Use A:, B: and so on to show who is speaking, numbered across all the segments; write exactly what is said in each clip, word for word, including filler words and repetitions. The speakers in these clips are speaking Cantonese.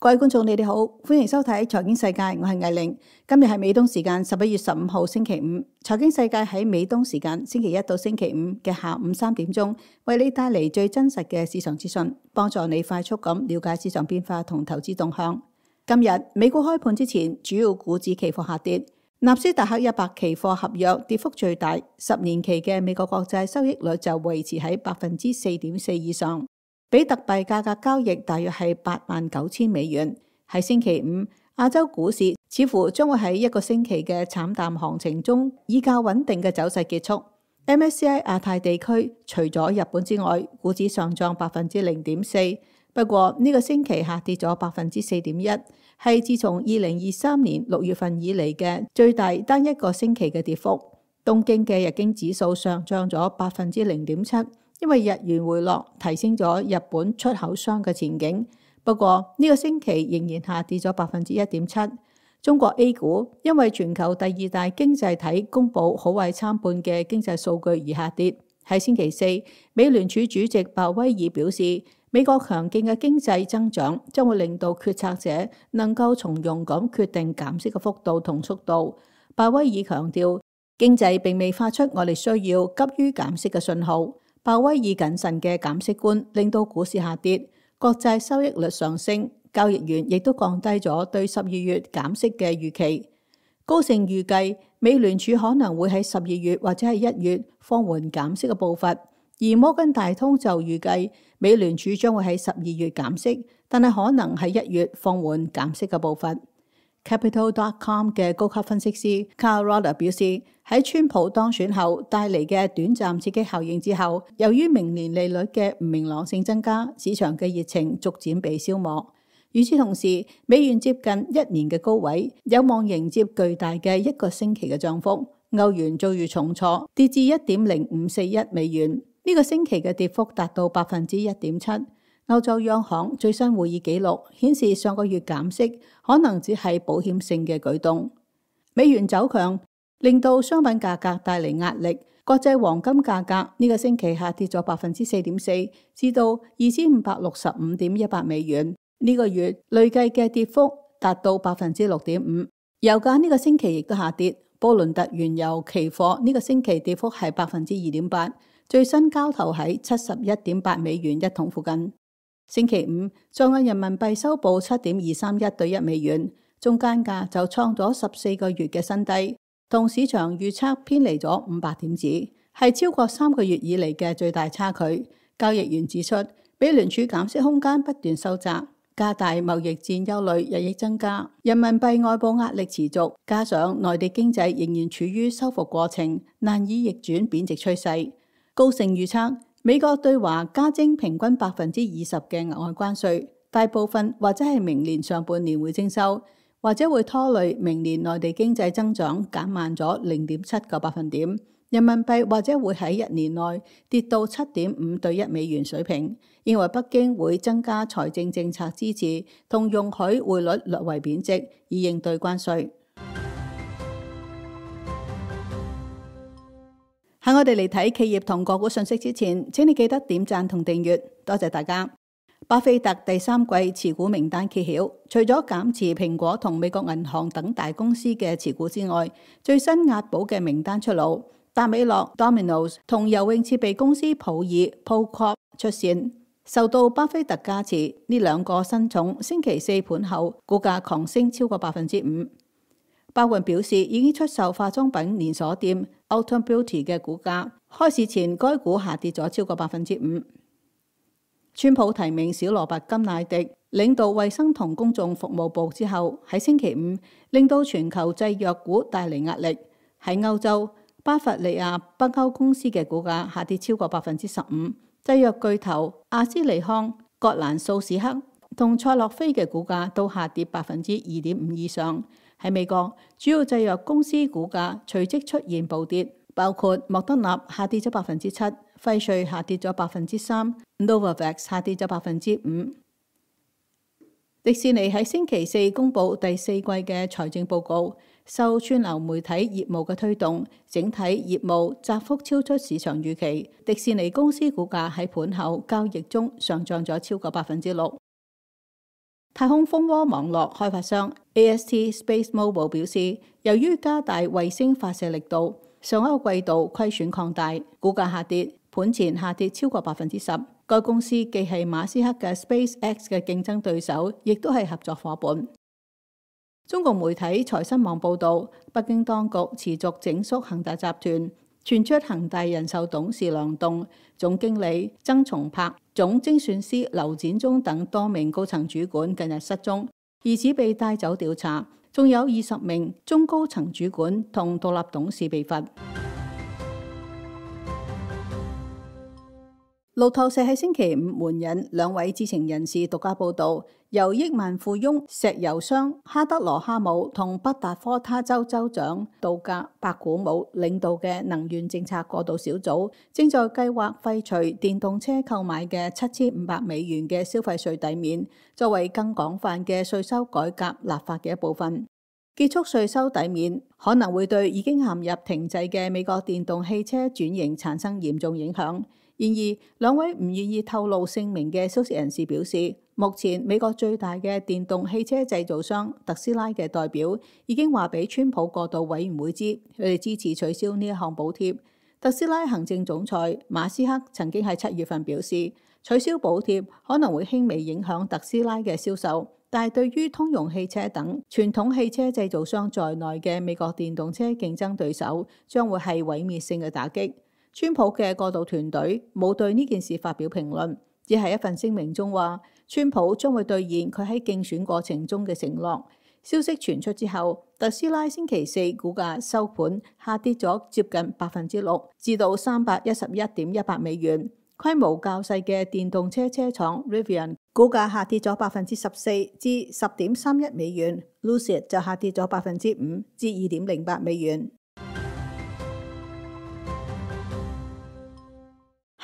A: 各位觀眾，你哋好，歡迎收睇財經世界，我係魏玲。今日係美東時間十一月十五號星期五，財經世界喺美東時間星期一到星期五嘅下午三點鐘，為你帶嚟最真實嘅市場資訊，幫助你快速咁了解市場變化同投資動向。今日美股開盤之前，主要股指期貨下跌，納斯達克一百期貨合約跌幅最大，十年期嘅美國國債收益率就維持喺百分之四點四以上。比特幣價格交易大約係八萬九千美元。喺星期五，亞洲股市似乎將會喺一個星期嘅慘淡行情中，以較穩定嘅走勢結束。M S C I 亞太地區除咗日本之外，股指上漲百分之零點四，不過呢個星期下跌咗百分之四點一，係自從二零二三年六月份以嚟嘅最大單一個星期嘅跌幅。東京嘅日經指數上漲咗百分之零點七。因為日元回落，提升咗日本出口商嘅前景。不過呢個星期仍然下跌咗百分之一點七。中國 A 股因為全球第二大經濟體公布好壞參半嘅經濟數據而下跌。喺星期四，美聯儲主席鮑威爾表示，美國強勁嘅經濟增長將會令到決策者能夠從容咁決定減息嘅幅度同速度。鮑威爾強調，經濟並未發出我哋需要急於減息嘅信號。鮑威爾謹慎嘅減息觀令到股市下跌，國債收益率上升，交易員亦都降低咗對十二月減息嘅預期。高盛預計美聯儲可能會喺十二月或者係一月放緩減息嘅步伐，而摩根大通就預計美聯儲將會喺十二月減息，但係可能喺一月放緩減息嘅步伐。Capital dot com 嘅高級分析師 Carl Roder 表示，喺川普當選後帶嚟嘅短暫刺激效應之後，由於明年利率嘅唔明朗性增加，市場嘅熱情逐漸被消磨。與此同時，美元接近一年嘅高位，有望迎接巨大嘅一個星期嘅漲幅。歐元遭遇重挫，跌至一點零五四一美元，呢、這個星期嘅跌幅達到百分之一點七。歐洲央行最新會議記錄顯示，上個月減息可能只係保險性嘅舉動。美元走強令到商品價格帶嚟壓力，國際黃金價格呢個星期下跌咗百分之四點四，至到二千五百六十五點一八美元。呢、這個月累計嘅跌幅達到百分之六點五。油價呢個星期亦都下跌，布倫特原油期貨呢個星期跌幅係百分之二點八，最新交投喺七十一點八美元一桶附近。星期五，在岸人民幣收報七點二三一對一美元，中間價就創咗十四個月嘅新低，同市場預測偏離咗五百點子，係超過三個月以嚟嘅最大差距。交易員指出，美聯儲減息空間不斷收窄，加大貿易戰憂慮日益增加，人民幣外部壓力持續，加上內地經濟仍然處於修復過程，難以逆轉貶值趨勢。高盛預測，美國對華加徵平均百分之二十嘅額外關稅，大部分或者係明年上半年會徵收，或者會拖累明年內地經濟增長減慢咗零點七個百分點。人民幣或者會喺一年內跌到七點五對一美元水平。認為北京會增加財政政策支持，同容許匯率略為貶值，以應對關稅。喺我哋嚟睇企業同個股信息之前，請你記得點讚同訂閱，多謝大家。巴菲特第三季持股名單揭曉，除咗減持蘋果同美國銀行等大公司嘅持股之外，最新押寶嘅名單出爐，達美樂 Domino's 同游泳設備公司普爾 Pool Corp 出線，受到巴菲特加持，呢兩個新寵星期四盤後股價狂升超過百分之五。百雲表示已經出售化妝品連鎖店 Ulta Beauty 嘅股價，開市前該股下跌咗超過百分之五。川普提名小羅伯金乃迪領導衛生同公眾服務部之後，喺星期五令到全球製藥股帶嚟壓力。喺歐洲，巴伐利亞北歐公司嘅股價下跌超過百分之十五，製藥巨頭阿斯利康、葛蘭素史克同賽諾菲嘅股價都下跌百分之二點五以上。喺美國，主要製藥公司股價隨即出現暴跌，包括莫德納下跌咗百分之七，輝瑞下跌咗百分之三 ，Novavax 下跌咗百分之五。迪士尼喺星期四公布第四季嘅財政報告，受串流媒體業務嘅推動，整體業務窄幅超出市場預期。迪士尼公司股價喺盤後交易中上漲咗超過百分之六。太空蜂窩網絡開發商 A S T SpaceMobile 表示，由於加大衛星發射力度，上一個季度虧損擴大，股價下跌，盤前下跌超過百分之十。該公司既係馬斯克嘅 SpaceX 嘅競爭對手，亦都係合作夥伴。中國媒體財新網報導，北京當局持續整肅恒大集團，傳出恒大人壽董事梁棟、總經理曾松柏、總精算師劉展忠等多名高層主管近日失蹤，疑似被帶走調查，仲有二十名中高層主管同獨立董事被罰。路透社喺星期五援引兩位知情人士獨家報導，由億萬富翁石油商哈德羅哈姆同北達科他州州長杜格白古姆領導嘅能源政策過渡小組，正在計劃廢除電動車購買嘅七千五百美元嘅消費稅抵免，作為更廣泛嘅稅收改革立法嘅一部分。結束稅收抵免可能會對已經陷入停滯嘅美國電動汽車轉型產生嚴重影響。然而，兩位唔願意透露姓名嘅消息人士表示，目前美國最大嘅電動汽車製造商特斯拉嘅代表已經話俾川普過渡委員會知，佢哋支持取消呢一項補貼。特斯拉行政總裁馬斯克曾經喺七月份表示，取消補貼可能會輕微影響特斯拉嘅銷售，但係對於通用汽車等傳統汽車製造商在內嘅美國電動車競爭對手，將會係毀滅性嘅打擊。川普嘅過渡團隊冇對呢件事發表評論，只係一份聲明中話，川普將會兌現佢喺競選過程中嘅承諾。消息傳出之後，特斯拉星期四股價收盤下跌咗接近百分之六，至到三百一十一點一八美元。規模較細嘅電動車車廠 Rivian 股價下跌咗百分之十四至十點三一美元 ，Lucid 就下跌咗百分之五至二點零八美元。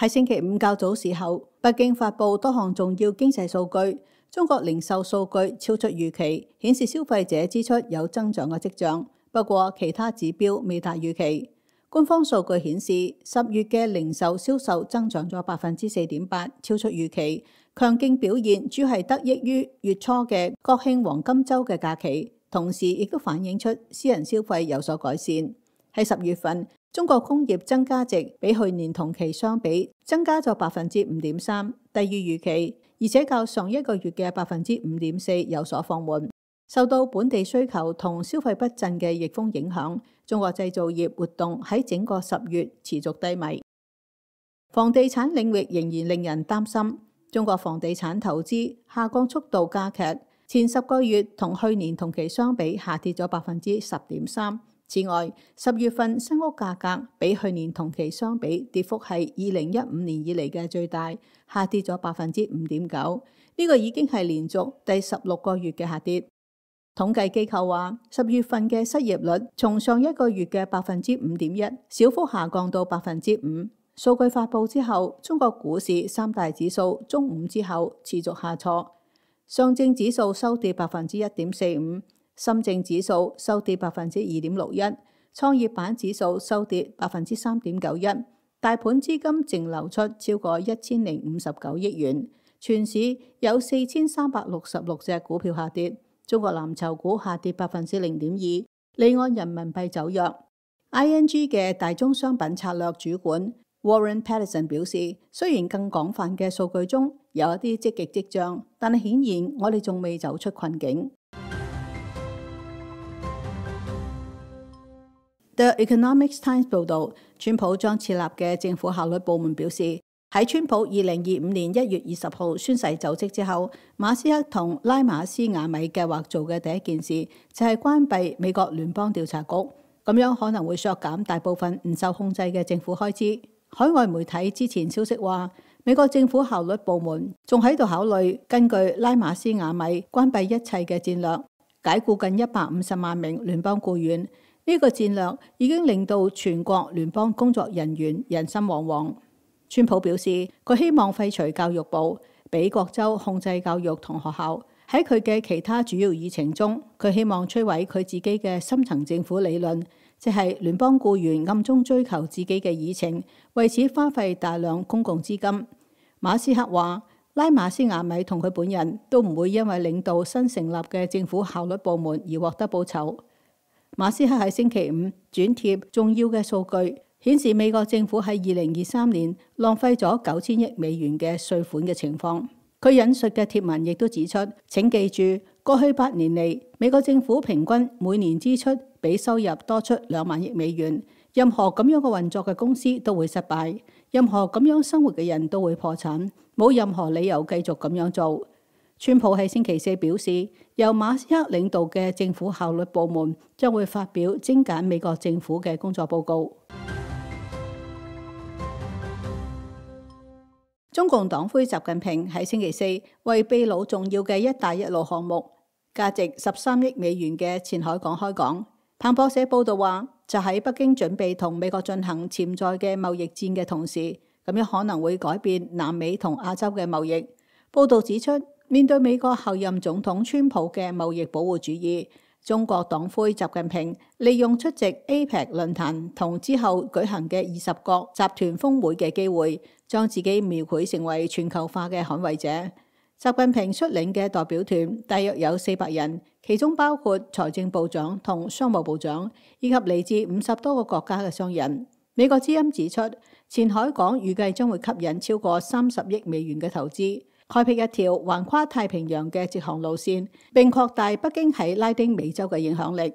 A: 喺星期五較早時候，北京發布多項重要經濟數據，中國零售數據超出預期，顯示消費者支出有增長嘅跡象。不過其他指標未達預期。官方數據顯示，十月嘅零售銷售增長咗百分之四點八，超出預期。強勁表現主要係得益於月初嘅國慶黃金週嘅假期，同時亦都反映出私人消費有所改善。喺十月份，中國工業增加值比去年同期相比增加咗百分之五點三，低於預期，而且較上一個月嘅百分之五點四有所放緩。受到本地需求同消費不振嘅逆風影響，中國製造業活動喺整個十月持續低迷。房地產領域仍然令人擔心，中國房地產投資下降速度加劇，前十個月同去年同期相比下跌咗百分之十點三。此外，十月份新屋價格比去年同期相比跌幅係二零一五年以嚟嘅最大，下跌咗百分之五點九。呢個已經係連續第十六個月嘅下跌。統計機構話，十月份嘅失業率從上一個月嘅百分之五點一小幅下降到百分之五。數據發布之後，中國股市三大指數中午之後持續下挫，上證指數收跌百分之一點四五。深證指數收跌百分之二點六一，創業板指數收跌百分之三點九一，大盤資金淨流出超過一千零五十九億元，全市有四千三百六十六隻股票下跌，中國藍籌股下跌百分之零點二，離岸人民幣走弱。I N G 嘅大宗商品策略主管 Warren Patterson 表示，雖然更廣泛嘅數據中有一啲積極跡象，但係顯然我哋仲未走出困境。The Economic Times 報導，川普將設立嘅政府效率部門表示，喺川普二零二五年一月二十號宣誓就職之後，馬斯克同拉馬斯亞米計劃做嘅第一件事就係關閉美國聯邦調查局，咁樣可能會削減大部分唔受控制嘅政府開支。海外媒體之前消息話，美國政府效率部門仲喺度考慮根據拉馬斯亞米關閉一切嘅戰略，解僱近一百五十萬名聯邦僱員。呢個戰略已經令到全國聯邦工作人員人心惶惶。川普表示，佢希望廢除教育部，俾各州控制教育同學校。喺佢嘅其他主要議程中，佢希望摧毀佢自己嘅深層政府理論，即係聯邦僱員暗中追求自己嘅議程，為此花費大量公共資金。馬斯克話，拉馬斯亞米同佢本人都唔會因為領導新成立嘅政府效率部門而獲得報酬。馬斯克喺星期五轉貼重要嘅數據，顯示美國政府喺二零二三年浪費咗九千億美元嘅稅款嘅情況。佢引述嘅貼文亦都指出，請記住，過去八年嚟，美國政府平均每年支出比收入多出兩萬億美元。任何咁樣嘅運作嘅公司都會失敗，任何咁樣生活嘅人都會破產，冇任何理由繼續咁樣做。川普喺星期四表示，由馬斯克領導嘅政府效率部門將會發表精簡美國政府嘅工作報告。中共黨魁習近平喺星期四為秘魯重要嘅一帶一路項目，價值十三億美元嘅前海港開港。彭博社報道話，就喺北京準備同美國進行潛在嘅貿易戰嘅同時，咁樣可能會改變南美同亞洲嘅貿易。報道指出，面對美國後任總統川普嘅貿易保護主義，中國黨魁習近平利用出席 A P E C 論壇同之後舉行嘅二十國集團峰會嘅機會，將自己描繪成為全球化嘅捍衛者。習近平率領嘅代表團大約有四百人，其中包括財政部長同商務部長，以及嚟自五十多個國家嘅商人。美國之音指出，前海港預計將會吸引超過三十億美元嘅投資，開闢一條橫跨太平洋嘅直航路線，並擴大北京喺拉丁美洲嘅影響力。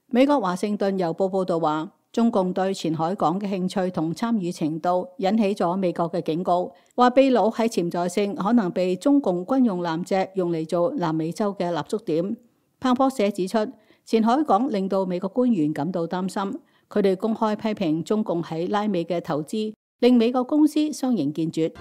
A: 美國華盛頓郵報報道話，中共對前海港嘅興趣同參與程度引起咗美國嘅警告，話秘魯喺潛在性可能被中共軍用艦隻用嚟做南美洲嘅立足點。彭博社指出，前海港令到美國官員感到擔心，佢哋公開批評中共喺拉美嘅投資，令美國公司相形見絀。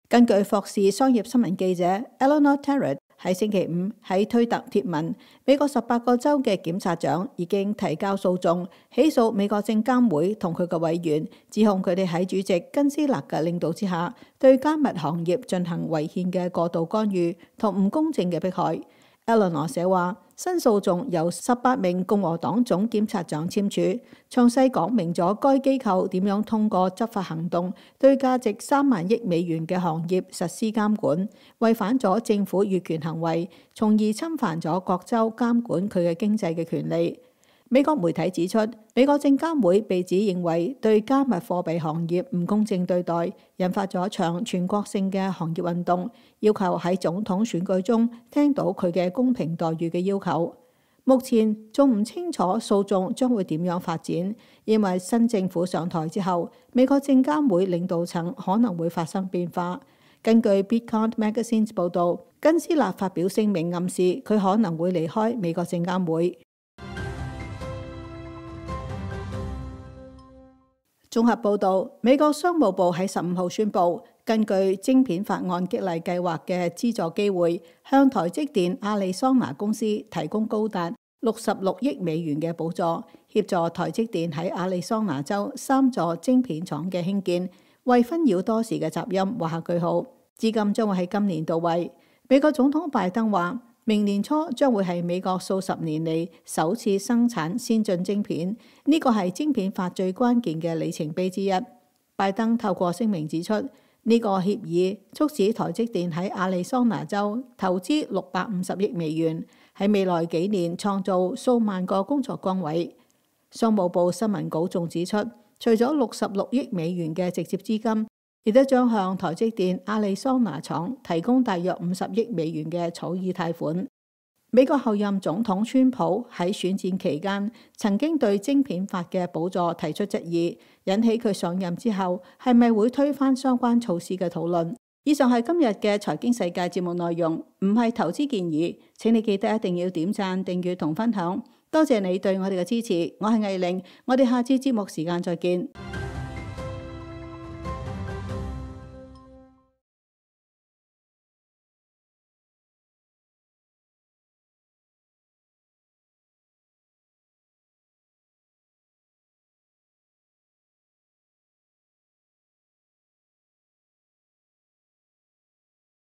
A: 根據霍士商業新聞記者 Eleanor Terrett 喺星期五喺推特貼文，美國十八個州嘅檢察長已經提交訴訟，起訴美國證監會同佢嘅委員，指控佢哋喺主席根斯勒嘅領導之下，對加密行業進行違憲嘅過度干預同唔公正嘅迫害。Eleanor 寫話，新訴訟由十八名共和黨總檢察長簽署，詳細講明咗該機構點樣通過執法行動對價值三萬億美元嘅行業實施監管，違反咗政府越權行為，從而侵犯咗各州監管佢嘅經濟嘅權利。美國媒體指出，美國證監會被指認為對加密貨幣行業唔公正對待，引發咗一場全國性嘅行業運動，要求喺總統選舉中聽到佢嘅公平待遇嘅要求。目前仲唔清楚訴訟將會點樣發展，因為新政府上台之後，美國證監會領導層可能會發生變化。根據 Bitcoin Magazine 報導，根斯勒發表聲明暗示佢可能會離開美國證監會。綜合報導，美國商務部喺十五號宣布，根據晶片法案激勵計劃嘅資助機會，向台積電亞利桑那公司提供高達六十六億美元嘅補助，協助台積電喺亞利桑那州三座晶片廠嘅興建，為紛擾多時嘅雜音畫下句號。資金將會喺今年到位。美國總統拜登話，明年初將會係美國數十年嚟首次生產先進晶片，呢個係晶片法最關鍵嘅里程碑之一。拜登透過聲明指出，呢個協議促使台積電喺亞利桑那州投資六百五十億美元，喺未來幾年創造數萬個工作崗位。商務部新聞稿仲指出，除咗六十六億美元嘅直接資金，亦都將向台積電亞利桑那廠提供大約五十億美元嘅草擬貸款。美國後任總統川普喺選戰期間曾經對晶片法嘅補助提出質疑，引起佢上任之後係咪會推翻相關措施嘅討論。以上係今日嘅財經世界節目內容，唔係投資建議，請你記得一定要點讚、訂閱同分享。多謝你對我哋嘅支持，我係藝玲，我哋下次節目時間再見。